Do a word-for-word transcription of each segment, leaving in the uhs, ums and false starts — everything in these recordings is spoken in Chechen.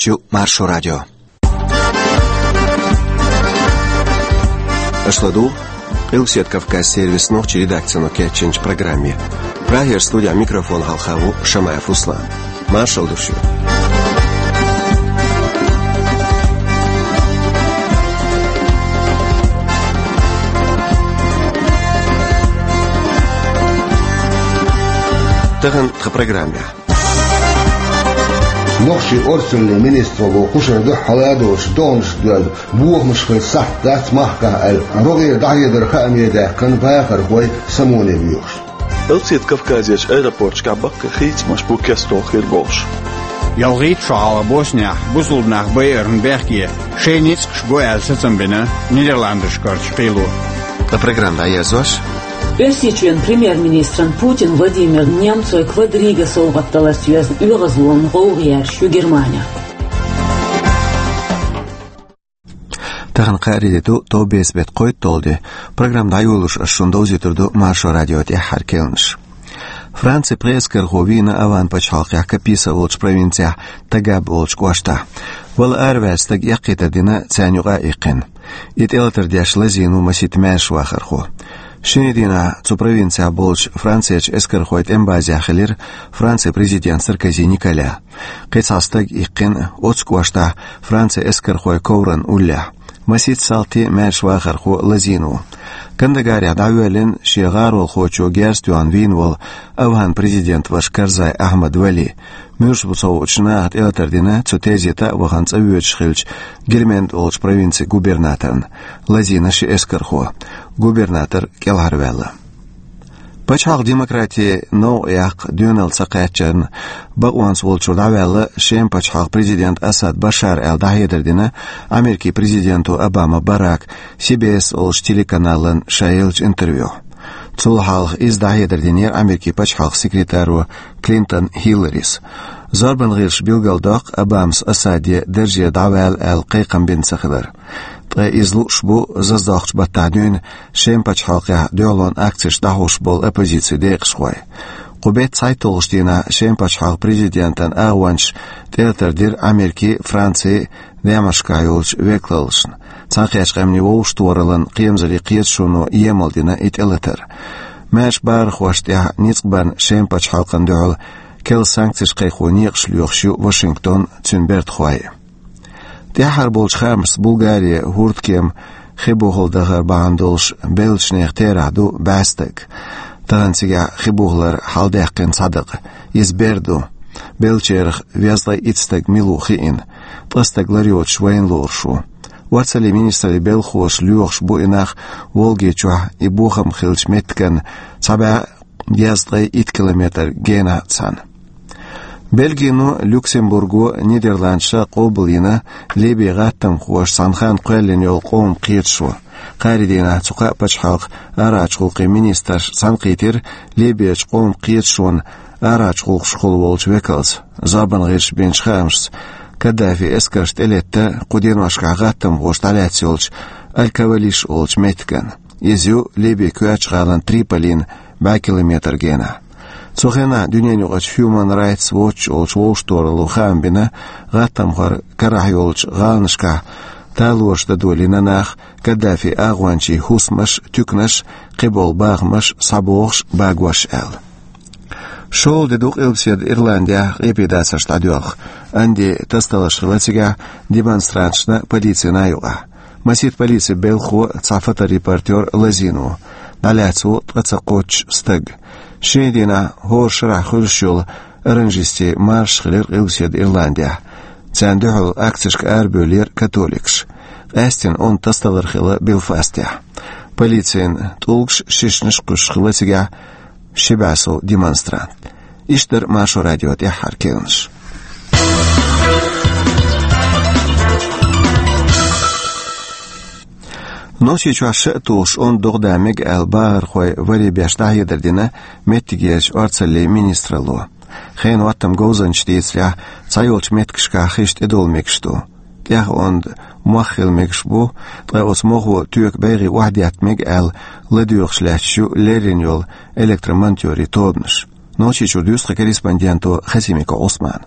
Шу Маршо радио. Аша ладугӀу Къилбаседа Кавказ сервисан нохчийн редакцино кечйинчу программе. Прагера студехь микрофон хьалха ву Шамаев Руслан. Маршалла ду шуьга. Тахана тхан программехь. Нохчийн орцаллин министралло кхушара дуьххьара а долуш догӀанаш доьлла, бохамаш хила сахьт дац махкахь аьлла, рогӀера дӀахьедар хааме даьккхина бахархой самоне воьхуш. Къилбаседа Кавказерчу аэропорташкахь баккхий хийцамаш бу кестта хир болуш. ЯлхитӀа шо хьалха Боснехь бусалба нах байарна бехке шайн ницкъаш го аьлла сацам бина Нидерландашкарчу кхело. Ткъа программа дӀаерзош. Оьрсийчоьнан премьер-министран Путин Владимирна немцойн квадрига совгӀат даларца йоьзна оьгӀазлонан гӀовгӀа яьржаш ю Германехь. Тахана кхаарин де ду, товбеца беттан кхойтталгӀа де. Программа дӀайолош ас шуна довзуьйтур ду Маршо радион тӀаьххьара керланаш. Францин пхи эскархо вийна АвгӀан пачхьалкхехь Каписа олучу провинцехь Тагаб олучу кӀоштахь. Вала араваьлла стаг эккхийтар дина, царна юкъа а иккхина. И тӀелатар деш лазийна ву масийтта маьршавахархо. Шинарин дийнахь цу провинцехь болчу Францерчу эскархойн тӀеман базехь хилира Францин президент Саркози Николя. Кхин цхьа стаг иккхина оццу кӀоштахь Францин эскархойн ковран уллехь. Масийтта салти а, маьршавахархо а лазийна ву. Кандагарехь дӀавоьллина шен гӀаролхочо герз тоьхна вийна волу АвгӀан президентан ваша Карзай Ахьмад Вали. Муьлш бу ца хуучу наха тӀелатар дина цу тезета а вахана цӀа воьдуш хиллачу Гельманд олучу провинцин губернаторна. Лазийна ши эскархо. Губернатор кӀелхьарваьлла. Пачхьалкхан демократин новкъа яккха доьналла ца кхаьчнарна бакъонца волчуьра дӀаваьлла Шеман пачхьалкхан президент Асад Башар аьлла дӀахьедар дина Америкин президенто Обама Барака Си Би Эс олучу телеканална ша еллачу интервьюхь. Цул хьалха иза дӀахьедар динера Америкин пачхьалкхан секретаро Клинтон Хилларис. Зорбан гӀирсаша билгалдоккху Обамас Асаде дарже дӀавала аьлла кхайкхам бина ца хилар. Ткъа иза лууш бу зазадоккхучу баттахь дуьйна Шеман пачхьалкхехь дуьхьалонан акцеш дӀахьош болу оппозицин декъашхой. Кху беттан цхьайтталгӀачу дийнахь Шеман пачхьалкхан президентан агӀончаша тӀелатар дира Америкин, Францин, Дамаскехь йолчу векалаллашна. Цхьаьнакхеттачу къаьмнийн вовшахтохараллин кхерамзаллин кхеташоно емал дина и тӀелатар. Маьрша бахархошна тӀехь ницкъ барна Шеман пачхьалкхана дуьхьал керла санкцеш кхайкхо некъаш лоьхуш ю Вашингтон, цуьнан бертахой. ТӀаьххьара болчу хаамашца Булгари хӀордкема хи бухал дахар бахьана долуш беллачу нехан терахь ду бӀе стаг. Тахана цигахь хи бухалар хьаладаьккхина цхьа дакъа. Иза бер ду. Беллачарах везткъе итт стаг мила ву хиъна. Ткъа стаг лар йоцуш вайна лоруш ву. Орцаллин министраллин белхалоша лоьхуш бу и нах Волги чохь и бохам хиллачу меттиган цхьа бӀе дезткъе итт километр генахь цхьаьна. Бельгино, Люксембурго, Нидерландша къобалйина Ливин гӀаттамхоша цхьана ханна кхоьллина йолу къоман кхеташо. Кхаарин дийнахь цу кхаа пачхьалкхан арахьарчу гӀуллакхийн министраш цхьаьнакхийтира Ливерчу къоман кхеташонан арахьарчу гӀуллакхашкахула волчу векалца. Зорбан гӀирсаша бинчу хаамашца, Каддафин эскарш тӀелетта кху деношкахь гӀаттамхоша дӀалаьцна йолчу Аль-Кавалиш олучу меттиган. Иза ю Ливин коьртачу гӀалина Триполина бӀе километр генахь. Цу хенахь дуьненаюкъарчу Human Rights Watch олучу вовшахтохаралло хаам бина, гӀаттамхойн карахь йолчу гӀаланашкахь талораш дан долийна нах, Каддафин агӀончийн хӀусамаш, туьканаш, кхиболу бахамаш схьабохуш, багош аьлла. ШолгӀа де ду Къилбаседа Ирландехь къепедацарш дӀадоьлху. Анди тасадаларш хилла цигахь демонстранташна, полицина а юкъахь. Масийтта полицин белхахо, цхьа фоторепортёр лазийна ву. ДӀалаьцна ву ткъа ца кхоччуш стаг. Шинарин дийнахь хӀора шарахь хуьлуш йолу оранжистийн маршаш хилира Къилбаседа Ирландехь. Царна дуьхьал акцешка арабевллера католикаш. Къаьсттина онда тасадалар хилла Белфастехь. Полицина тӀулгаш, шишнаш кхуьссуш хилла цигахь ши бӀе сов демонстрант. Иштта дара Маршо радион тӀаьххьара керланаш. Нохчийчохь ша а тухуш онда догӀа дан мега аьлла, бахархой варе беш дӀахьедар дина меттигерчу орцаллин министралло. Хенан хӀоттаман говзанчаша дийцарехь, цхьайолчу меттигашкахь хиш тӀедовла мегаш ду. ТӀех онда мох хила мегаш бу, ткъа оцу мохо тоька байгӀе охьадетта мега аьлла, ладоьгӀуш лаьтташ ю леррина йолу электромонтёрийн тобанаш. Нохчийчуьра дуьйцу тхан корреспонденто Хасимиков Ӏусмана.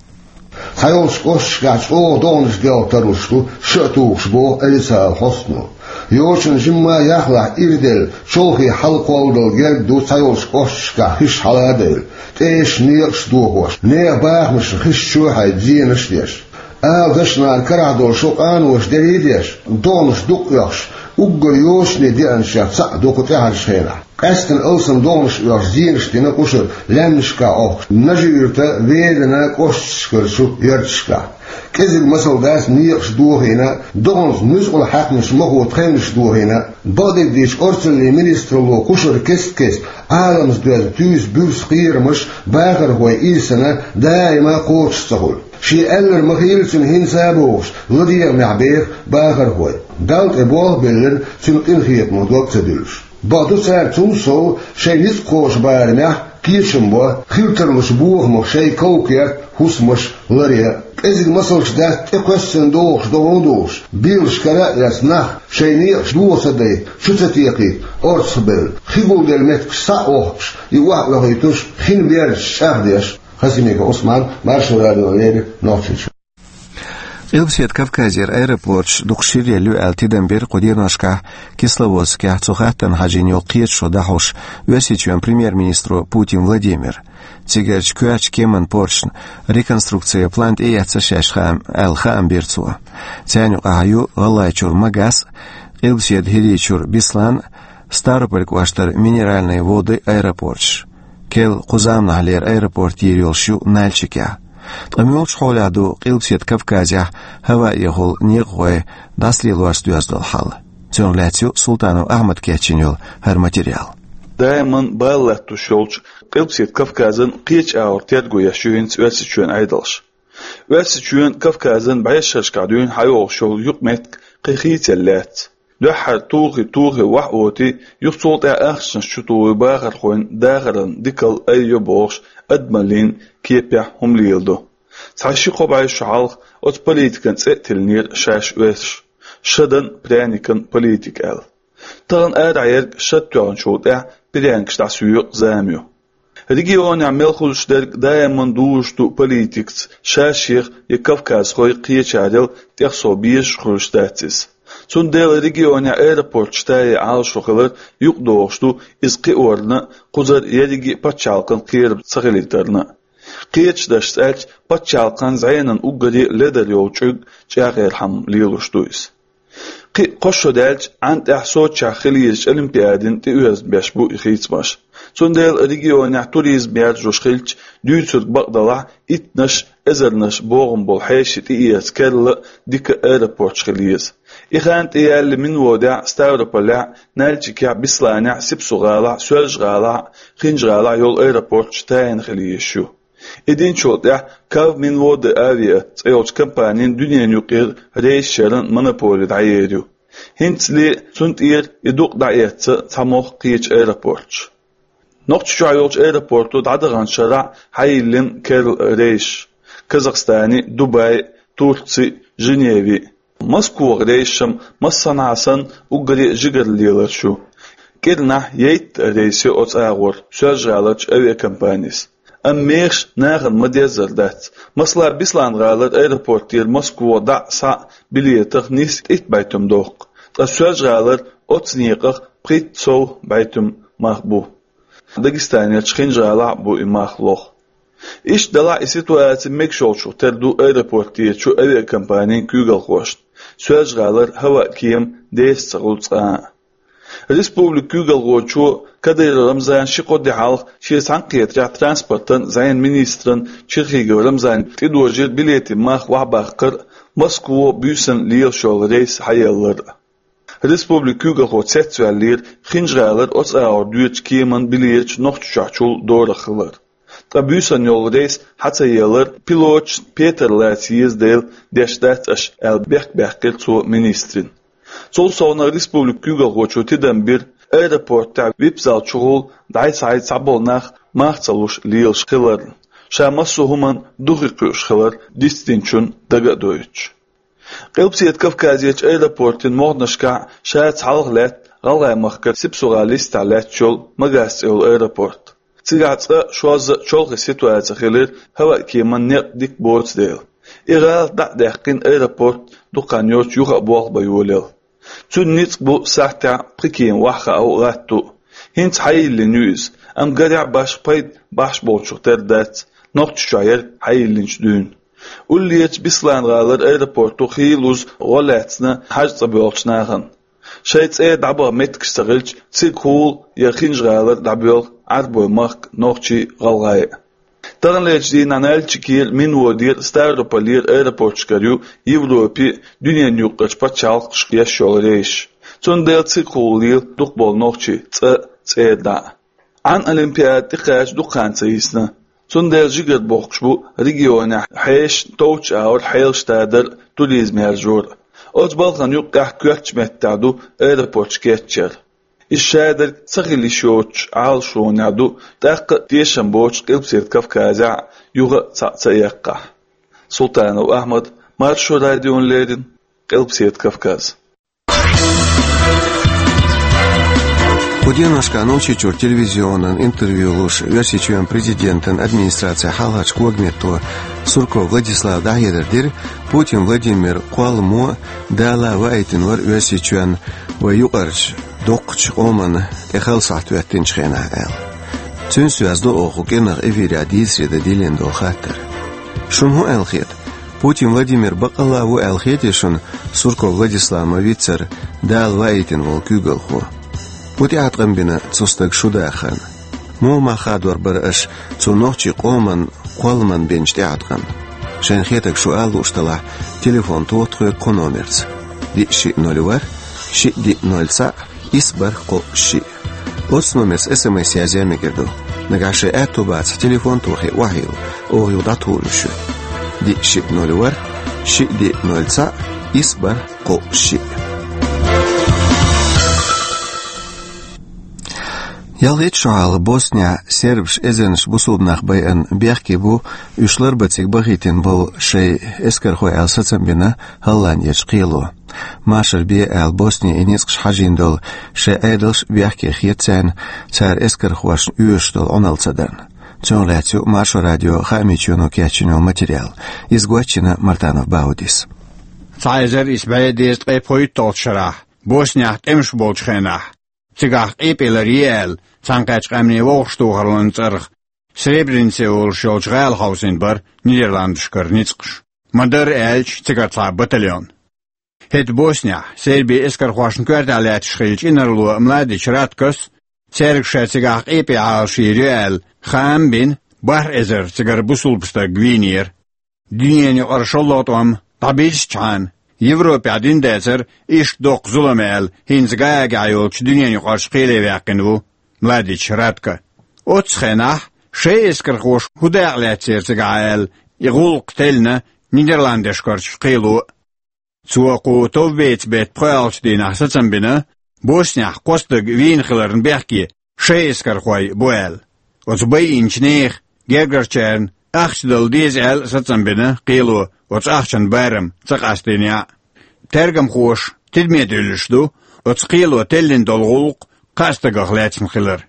Цхьайолчу кӀошташкахь чӀогӀа догӀанаш делха тарлуш ду шатухуш, боху Элисаал хьостано. Йочана жимма яхлахь ирделла, чолхе хьалакхолладала герга ду цхьайолчу кӀошташкахь хиш хьала а девлла, тӀеш а, некъаш а дохош, нехан бахамашна хиш чу а хьайна, зенаш а деш. Ала дашнарна карахь долу шо къаноша дерий а деш, догӀанаш дукха оьхуш, уггар йочане деанчех цхьаъ ду кху тӀаьхьарчу хенахь. Къаьсттина алсам догӀанаш оьхуш, зенаш дина къушара лаьмнашкахь Ӏохкуш Нажи-Юьртан, Веданан кӀошташкарчу ярташкахь. КӀезиг масал дац некъаш дохийна, догӀанца нуьцкъала хьаькамаша махо тхевнаш дохийна. Бакъдерг дийцича, орцаллин министралло кхушара кест-кеста Ӏаламца доьзна туьйсу буьрса кхерамаш бахархойн ирсана даима кхочуш ца хуьлу. Шен аьлларг ма-хуьллу цуьнан, хӀинца а бохуш, ладегӀамехь беха бахархой. Далла тӀе болх а биллина, цуьнан къинхетамо дог ца дуьллуш. Бакъду, цара цул сов шайн ницкъ кхочу барамехь кечам бо, хила тарлучу бохамах шайн ков-керт, хӀусамаш ларъян. КӀезиг масалш дац тӀекхоьссина догӀуш, догӀу а догӀуш, белаш кара а эцна нах, шайн некъаш доха ца дайта, чу ца текхийта орцахбевлла, хи гулделла меттигаш схьа а охкуш, и охьаоьхуьйтуш, хин бердаш чӀагӀдеш. Хасимиков Ӏусман, Маршо радиона леррина, Нохчийчоь. Къилбаседа Кавказера аэропорташ дукха ширъелла ю аьлла тидам бира кху деношкахь Кисловодскехь цу хаттарна хьажийна йолу кхеташо дӀахьош Оьрсийчоьнан премьер-министро Путин Владимира. Цигарчу коьртачу кеманан порташна реконструкцин план тӀеэцна шаьш хаам, аьлла хаам бира цо. Царна юкъахь ю ГӀалгӀайчуьра Магас а, Къилбаседа ХӀирийчуьра Беслан а, Ставрополь кӀоштара Минеральные Воды аэропорташ. Керла кху заманахьлера аэропорт йийр йолуш ю Нальчикехь. Ткъа муьлхачу хьолехь ду Къилбаседа Кавказехь хӀаваэхула некъахой дӀасалелорца доьзна долу хьал? Цунах лаьцна ю Султанов Ахьмада кечйина йолу хӀара материал. Даиман бала латтош йолчу Къилбаседа Кавказан кхечу агӀор терго еш ю хӀинца Оьрсийчоьнан Ӏедалш. Оьрсийчоьнан Кавказан бӀешерашкахь дуьйна хьайогӀуш йолу юкъаметтиг кхин хийцаелла яц. Дуьххьара тухий, тухий, охьаотий, юха цул тӀаьхьа ахчанаш чу тухий бахархойн дахаран дикалла аййо бохуш, адамаллин кепехь хӀума леладо. Цхьа ши-кхо бӀе шо хьалха оцу политикан цӀе а тиллинера шаьш оьрсаша, шадан пряникан политика аьлла. Тахана арахь ерг шад тоьхначул тӀаьхьа пряникаш дӀасоькъу зама ю. Регионехь мел хуьлуш дерг даиман дужуш ду политикаца шаьшех я кавказхой кхечарел тӀехсов безаш хуьлуш дац иза. Цундела регионехь аэропорташ тае Ӏалашо хилар юкъадогӀуш ду, иза кхиорна а, кхузара ерриге а пачхьалкхан кхерам ца хилийтарна а. Кхечу дашца аьлча, пачхьалкхан зӀенан уггаре а ледар йолу чӀуг чӀагӀъярхьама лелош ду иза. Кхин а кхо шо даьлча, Ӏан тӀехь Сочехь хила езачу Олимпиадина тӀеоьзна беш бу и хийцамаш. Цундела регионехь туризм яржош хилча, дуьйцург бакъ далахь, иттанаш, эзарнаш богӀам болу хьеший тӀеэца керла а, дика а аэропорташ хила еза. И хан тӀеяьлла Минводехь а, Ставрополехь а, Нальчикехь а, Бесланехь а, Сипсу-ГӀалахь а, Соьлжа-ГӀалахь а, Хинжа-ГӀалахь а йолу аэропорташ тайна хила езаш ю. И динчул тӀаьхьа Кавминводы Авиа цӀе йолчу компанин дуьненан юкъера рейсаш яран монополи дӀаер ю. ХӀинцале цунна тӀера и дукъ дӀаэцна цхьа могӀа кхечу аэропорташа. Нохчийчохь йолчу аэропорто дӀадаханчу шарахь хьайиллина керла рейсаш Казахстане, Дубае, Турце, Женеве. Москвахь рейсаш-м массанхьа санна уггаре а жигара леларш ю. КӀирнахь йтта рейс йо оцу агӀор Соьлжа-ГӀаларчу авиакомпанис. Амма мехаш нахана ма-деззара дац. Масала, Беслан-ГӀалара аэропортера Москвахь дӀа а, схьа а билетах нийсса итт бӀе туьма доккху, ткъа Соьлжа-ГӀалара оцу некъах пхийтта сов бӀе туьма мах бу. Дагестанерчу Хинжа-ГӀалахь а бу и мах лоха. Иштта делахь а, и ситуаци мегаш йолчух тера ду аэропортерчу авиакомпанин куьйгалхошна. Соьлжа-ГӀалара хӀаваан кема деса ца хуьлу цкъа а. Республикан куьйгалхочо Кадыров Рамзана ши-кхо де хьалха шен цхьаьнакхетарехь транспортан а, зӀенан а министран Черхигов Рамзана тӀедожийра билетийн мах охьабаккхар а, Москва буьйсанна лелаш йолу рейс хьаялар а. Республикан куьйгалхо цецваьллера Хинжа-ГӀалара оцу агӀор доьдучу кеман билеташ Нохчийчохьчул дорах хилар. Ткъа буьйсанна йолу рейс хьа ца елар пилоташна петар лаца еза дела деш дац аша аьлла, бехк баьккхира цо министрина. Цул совнаха республикан куьйгалхочо тидам бира аэропортехь вип-зал чухула дӀай-схьай цхьаболу нах мах ца луш лелаш хиларна, ша массо а хӀуманна духе кхуьуш хилар дицдинчунна дага а дойтуш. Къилбаседа Кавказерчу аэропортийн могӀанашкахь шаьца хьалха лаьтта ГӀалгӀай махкара Сипсу-ГӀалин йистехь лаьтташ йолу Магас цӀе йолу аэропорт. Цигахь цкъа шозза а чолхе ситуаци хилира, хӀаваан кеман некъ дика боцу дела. И гӀалат дӀа а даьккхина, аэропорт дукха хан йоццуш юха а болх бан йолаелла. Цуьнан ницкъ бу сахьтехь пхи кема охьахаа а, гӀатта а. ХӀинца хьайиллина ю иза, амма гарехь, башха пайда бахьаш болчух тера дац нохчашчохь ерг хьайиллинчу дуьйна. Уллерчу Беслан-гӀалара аэропорто хийла-уза гӀо лаьцна хьажа цӀа боьлхучу нахана. Шайн цӀера дӀабаха меттигаш ца хилча, цигахула я Хинжа-гӀалара дӀабоьлху Ӏарбойн махка нохчий а, гӀалгӀай а. Таханлерчу дийнахь Нальчикера, Минводера, Ставрополера аэропорташкара ю Европе а, дуьненан юккъерчу пачхьалкхашка еш йолу рейсаш. Цундела цигахула лела дукхахболу нохчий цӀа а, цӀера дӀа а. Ӏан олимпиада тӀекхача дукха хан ца йисна. Цундела жигара бохкуш бу регионехь хьешан товчу агӀор хьелаш тадар а, туризм яржор а. Оцу балхана юккъехь коьртачу меттехь ду аэропорташ кечъяр. Иза шадерг ца хила йиш йоцучу Ӏалашонехь ду, тӀаккха а тешам боцуш Къилбаседа Кавказехь а юха а цхьаъ ца эккхахь. Султанов Ахьмад, Маршо радиона леррина, Къилбаседа Кавказ. Кху деношкахь Нохчийчуьра телевизионан интервью луш, Оьрсийчоьнан президентан администрацин хьалхарчу когаметто Сурков Владислава дӀахьедар дира, Путин Владимир кхолламо а, Дала а ваийтина вара Оьрсийчоьнна вайн юкъарчу доккхачу къоманна тӀе хала сахьт хӀоьттинчу хенахь аьлла. Цуьнца доьзна ду оха кху кӀиранах эфирехь дийцаре дан диллина долу хаттар. Шуна хӀун аьлла хета? Путин Владимир баккъалла а ву аьлла хетий шуна Сурков Владислав ма-виццара Дала ваийтина волу куьйгалхо? ХӀун тӀеӀаткъам бина цу стага шун дахарна? Муха мах хадор бара аша цу нохчийн къоман кхолламан бинчу тӀеӀаткъамна? Шайна хетарг шу ала лууш делахь, телефон тоха тхоьга кху номерца: диъ шиъ ноль ворхӀ, шиъ диъ ноль цхьаъ, исс бархӀ кхоъ шиъ. Оцу номерца эс эм эс язъян мегар ду. Нагахь шайн аьтто бацахь, телефон тохий, охьайилла, оха юха дӀатухур ю шуьга. Диъ шиъ ноль ворхӀ, шиъ диъ ноль цхьаъ, исс бархӀ кхоъ шиъ. Ялхитта шо хьалха Боснехь сербаша эзарнаш бусулба нах байарна бехке бу уьш ларбан цига бахийтина болу шайн эскархой аьлла сацам бина Голландерчу кхело. Машар бе аьлла, Босне и ницкъаша хьажийна долу шайн Ӏедалш бехке хета царна, цара эскархошна оьшуш долу Ӏуналла ца дарна. Цунах лаьцна ю Маршо радион хаамийн чоьно кечйина йолу материал. Иза гочйина Мартанов Баудис. Цхьа эзар исс бӀе дезткъе пхийтталгӀачу шарахь, Боснехь тӀемаш болчу хенахь, цигахь къепе лар е аьлла, Цхьаьнакхеттачу Къаьмнийн вовшахтохараллин цӀарах Сребренице олуш йолчу гӀала хьовсийна бара Нидерландашкара ницкъаш. Ма-дарра аьлча, цигара цхьа батальон. ХӀетахь Боснехь, Сербин эскархошна коьртехь лаьтташ хиллачу инарло Младич Раткос, цаьрга ша цигахь къепе Ӏалашйийр ю аьлла, хаам а бина, бархӀ эзар цигара бусулба стаг вийнера. Дуьненан юкъара шолгӀа тӀом дӀабирзичхьана, Европехь дина дацара иштта доккха зулам аьлла, хӀинца Гаагехь йолчу дуьненан юкъарчу кхеле ваьккхина ву Младич Ратко. Оццу хенахь шайн эскархоша хӀун дакъа лаьцнера цигахь аьлла, и гӀуллакх теллина Нидерландашкарчу кхело а. Цо кху товбеца беттан пхоьалгӀачу дийнахь сацам бина, Боснехь кхо стаг вийна хиларна бехке шайн эскархой бу аьлла. Оцу байинчу нехан гергарчарна ахча дала деза аьлла а сацам бина кхело, оцу ахчан барам ца къастийнехь а. Тергамхоша тидаме дуьллуш ду оцу кхело теллина долу гӀуллакх кхаа стагах лаьцна хилар.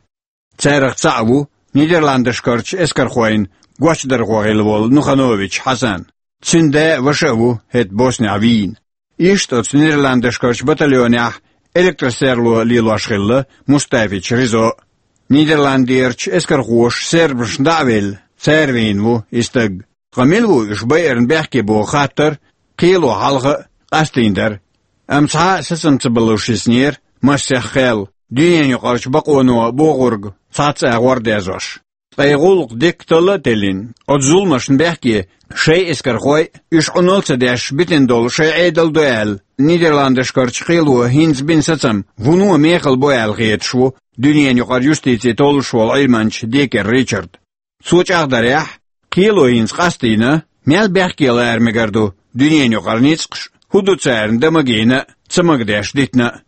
Царах цхьаъ ву Нидерландашкарчу эскархойн гочдархо хилла волу Нуханович Хьасан. Цуьнан да а, ваша а ву хӀетахь Боснехь вийна. Иштта оцу Нидерландашкарчу батальонехь электросерло лелош хилла Мустафич Ризо. Нидерландерчу эскархоша сербашна дӀа а велла, цара вийна ву и стаг. Ткъа мила ву уьш байарна бехке боху хаттар кхело хьалха а къастийна дара. Амма цхьа а сацам ца балуш йиснера массех кхел, дуьненан юкъарчу бакъоно бохург цхьацца а гӀордезош. Ткъа и гӀуллакх дикка талла а теллина, оцу зуламашна бехке шайн эскархой а, уьш Ӏуналла ца деш битина долу шайн Ӏедал а ду аьлла, Нидерландашкарчу кхело хӀинца бина сацам вуно мехала бу аьлла хеташ ву дуьненан юкъара юстици толлуш волу Ӏилманча Декер Ричард. Цо чӀагӀдарехь, кхело хӀинца къастийна, мел бехке лара мегар ду дуьненан юкъара ницкъаш, хӀун ду царна дан магийна а, ца магадеш дитина а.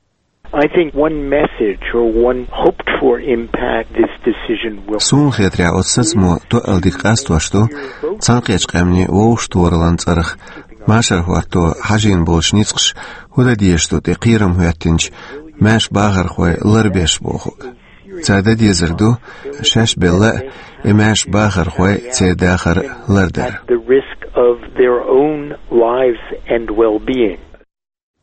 I think one message or one hoped for impact this decision will Суна хетарехь, оцу сацамо тоъал дика къастош ду Цхьаьнакхеттачу Къаьмнийн вовшахтохараллин цӀарах машар хӀотто хьажийна болчу ницкъаша хӀун дан дезаш ду тӀе кхерам хӀоьттинчу маьрша бахархой ларбеш бохург. Царна дан дезар ду шаьш белла а, и маьрша бахархой церан дахар лардар. At the risk of their own lives and well-being.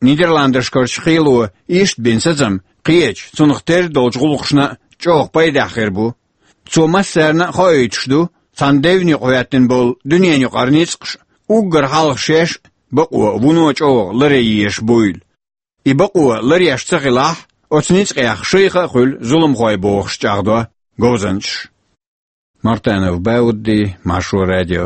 Нидерландашкарчу кхело иштта бина сацам кхечу, цунах терра долчу гӀуллакхашна чӀогӀа пайдехь хир бу. Цо массарна а хоуьйтуш ду, цхьана девнна юкъа хӀоьттина болу дуьненан юкъара ницкъаш уггар хьалха шаьш а бакъо вуно чӀогӀа ларъян езаш буйла. И бакъо ларъеш ца хилахь, оцу ницкъех шайх а хуьлу зуламхой бохуш чӀагӀдо говзанчаш. Мартанов Баудди, Маршо радио.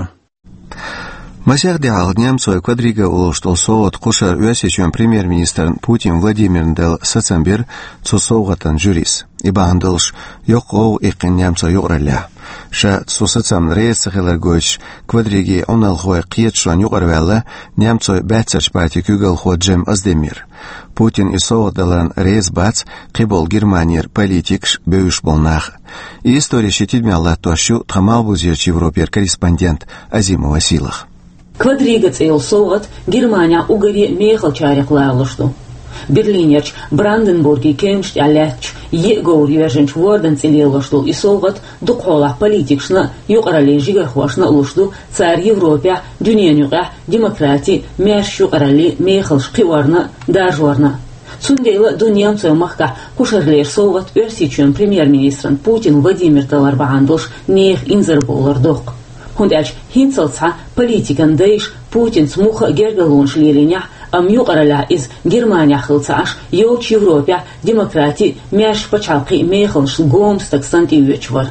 Масех де хьалха немцойн Квадрига олуш долу совгӀат кхушара Оьрсийчоьнан премьер-министрна Путин Владимирна делла сацам бира цу совгӀатан жюрис. И бахьана долуш йоккха гӀовгӀа иккхина немцойн юкъараллехь. Ша цу сацамна реза ца хилар гойтуш, Квадригийн Ӏуналхойн кхеташонна юкъараваьлла немцойн баьццарчу партин куьйгалхо Джем Оздемир. Путинна и совгӀат даларна реза бац кхиболу Германера политикаш а, бевзаш болу нах а. И истори шен тидамехь латтош ю тхан Малхбузерчу Европера корреспондент Азимова Сийлаха. Квадрига цӀе йолу совгӀат Германехь уггаре а мехалчарех ларалуш ду. Берлинерчу Бранденбурган кевнаш тӀехь лаьттачу йиъ говр йоьржинчу ворданан цӀе лелош долу и совгӀат дукха хьолахь политикашна а, юкъараллин жигархошна а луш ду цара Европехь, дуьненан юкъехь демократи, маьрша юкъаралли мехаллаш кхиорна а, даржорна а. Цундела а ду немцойн махкахь кхушарлера совгӀат Оьрсийчоьнан премьер-министрна Путин Владимирна далар бахьана долуш нехан инзарбовлар доккха. ХӀунда аьлча хӀинццалц схьа политикан дайша Путинца муха а гергарлонаш лелийнехь, амма юкъараллехь иза Германехь хилла ца Ӏаш, йолчу Европехь демократи а, маьрша пачхьалкхе а мехаллаш гоман стаг санна тӀеоьцуш вара.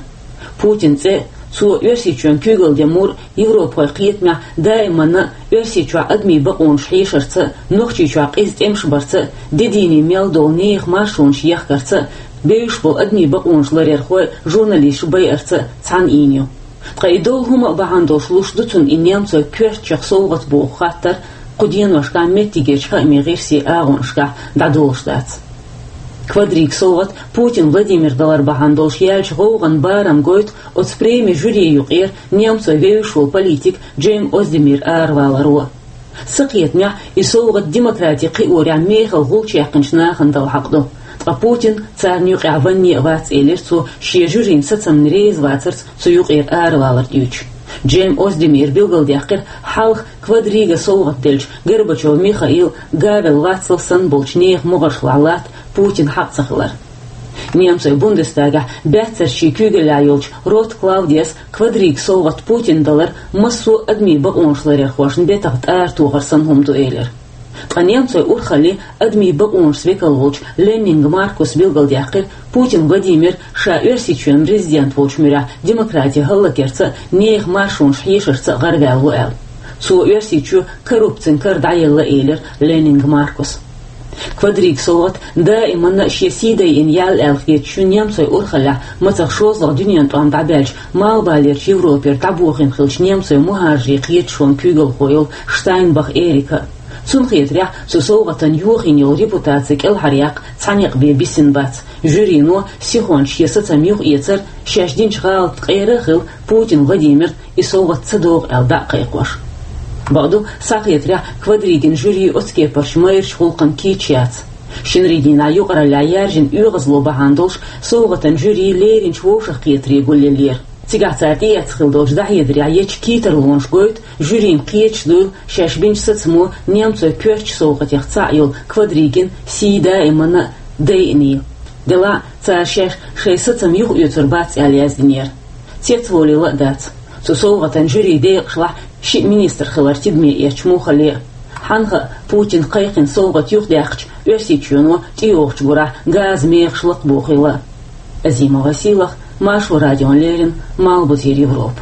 Путинан цӀе а, цо Оьрсийчоьнан куьйгалла ден мур а Европахойн кхетамехь даиманна а Оьрсийчохь адамийн бакъонаш хьешарца а, Нохчийчохь къиза тӀемаш барца а, де дийне мел долу нехан маршонаш ехкарца а, бевзаш болу адамийн бакъонаш ларъярхой а, журналисташ байарца а цхьаьна ийна ю. Ткъа и долу хӀума а бахьана долуш луш ду цунна и немцойн коьртачех совгӀат боху хаттар кху деношкахь меттигерчу хаамийн гӀирсийн агӀонашкахь дӀадолуш дац. Квадрига совгӀат Путин Владимирна далар бахьана долуш яьллачу гӀовгӀан барам гойту оцу премин жюрин юкъера немцойн вевзаш волу политик Джем Оздемир араваларо. Сан кхетамехь, и совгӀат демократи кхиорехь мехала гӀулч яьккхинчу нахана дала хьакъ ду. Ткъа Путин царна юкъехь ванне а вац, элира цо, шен жюрин сацамна реза вацарца цу юкъера аравалар дуьйцуш. Джем Оздемира билгалдаьккхира хьалха Квадрига совгӀат деллачу Горбачев Михаил, Гавел Вацлав санна болчу нехан могӀаршкахь латта Путинна хьакъ ца хилар. Немцойн Бундестагехь баьццарчийн куьйгаллехь йолчу Рот Клаудиас Квадрига совгӀат Путинна далар массо а адамийн бакъонаш ларъярхошна бетах тӀара тохар санна хӀума ду, элира. Ткъа немцойн урхаллин адамийн бакъонашца векал волчу Леннинг Маркуса билгалдаьккхира, Путин Владимир ша Оьрсийчоьнан президент волчу муьрехь демократи хӀаллакъярца а, нехан маршонаш хьешарца а гӀараваьлла ву аьлла. Цо Оьрсийчоь коррупцин кара дӀаелла, элира Леннинг Маркуса. Квадрига совгӀат даиманна а шен сий дайина яьлла аьлла хеташ ю немцойн урхаллехь мацах шозлагӀа дуьненан тӀом дӀабаьлча, Малхбалерчу Европера дӀабохийна хиллачу немцойн мухӀажарийн кхеташонан куьйгалхо йолу Штайнбах Эрика. Цунна хетарехь, цу совгӀатан йохийна йолу репутаци кӀелхьаръяккха цхьа некъ бен бисина бац. Жюрино сихонца шен сацам юхаэцар, шаьш динчу гӀалатан къера а хилла, Путин Владимирна и совгӀат ца догӀу аьлла дӀа а кхайкхош. Бакъду, схьахетарехь, Квадригин жюри оцу кепарчу майрачу гӀуллакхана кийча яц. Шинарийн дийнахь юкъараллехь яьржина оьгӀазло бахьана долуш, совгӀатан жюри леринчу вовшахкхетаре гулъеллера. Цигахь цара тӀеэцна хилла долчу дӀахьедарехь ечу кхетарлонаш гойту, жюрина кхеташ дуйла шаьш бинчу сацамо немцойн коьртачу совгӀатех цхьаъ йолу Квадригин сий даиманна а дайъина йила. Делахь а цара шаьш шайн сацам юхаоьцур бац аьлла яздинера. Цецволийла а дац. Цу совгӀатан жюрин декъашлахь шиъ министр хилар тидаме эцча муххале а. Хьанха а Путина кхайкхина совгӀат юхадаьккхича, Оьрсийчоьно тӀейогӀучу гурахь газан мехаш лакхабохийла а. Азимова Сийлаха, Маршо радиона леррина, Малхбузера Европа.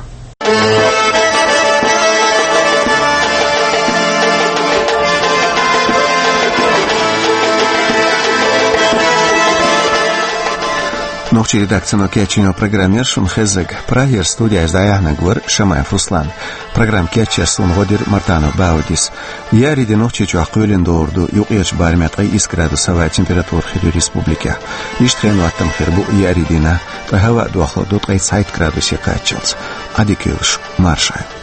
Нохчийн редакцино кечйина программа яра шуна хезнарг. Прагера студехь дӀаяьхьнарг вара Шамаев Руслан. Программа кечъеш суна гӀо дира Мартанов Баудис. Еарин де Нохчийчохь кхоьлина догӀур ду юккъерчу барамехь ткъе исс градус хӀаваан температура хир ю республикехь. Иштта хенан хӀоттам хир бу еарин дийнахь, ткъа хӀаваан дохлур ду ткъе цхьайтта градусе кхаччалц. Ӏадика йойла шу, марша Ӏойла.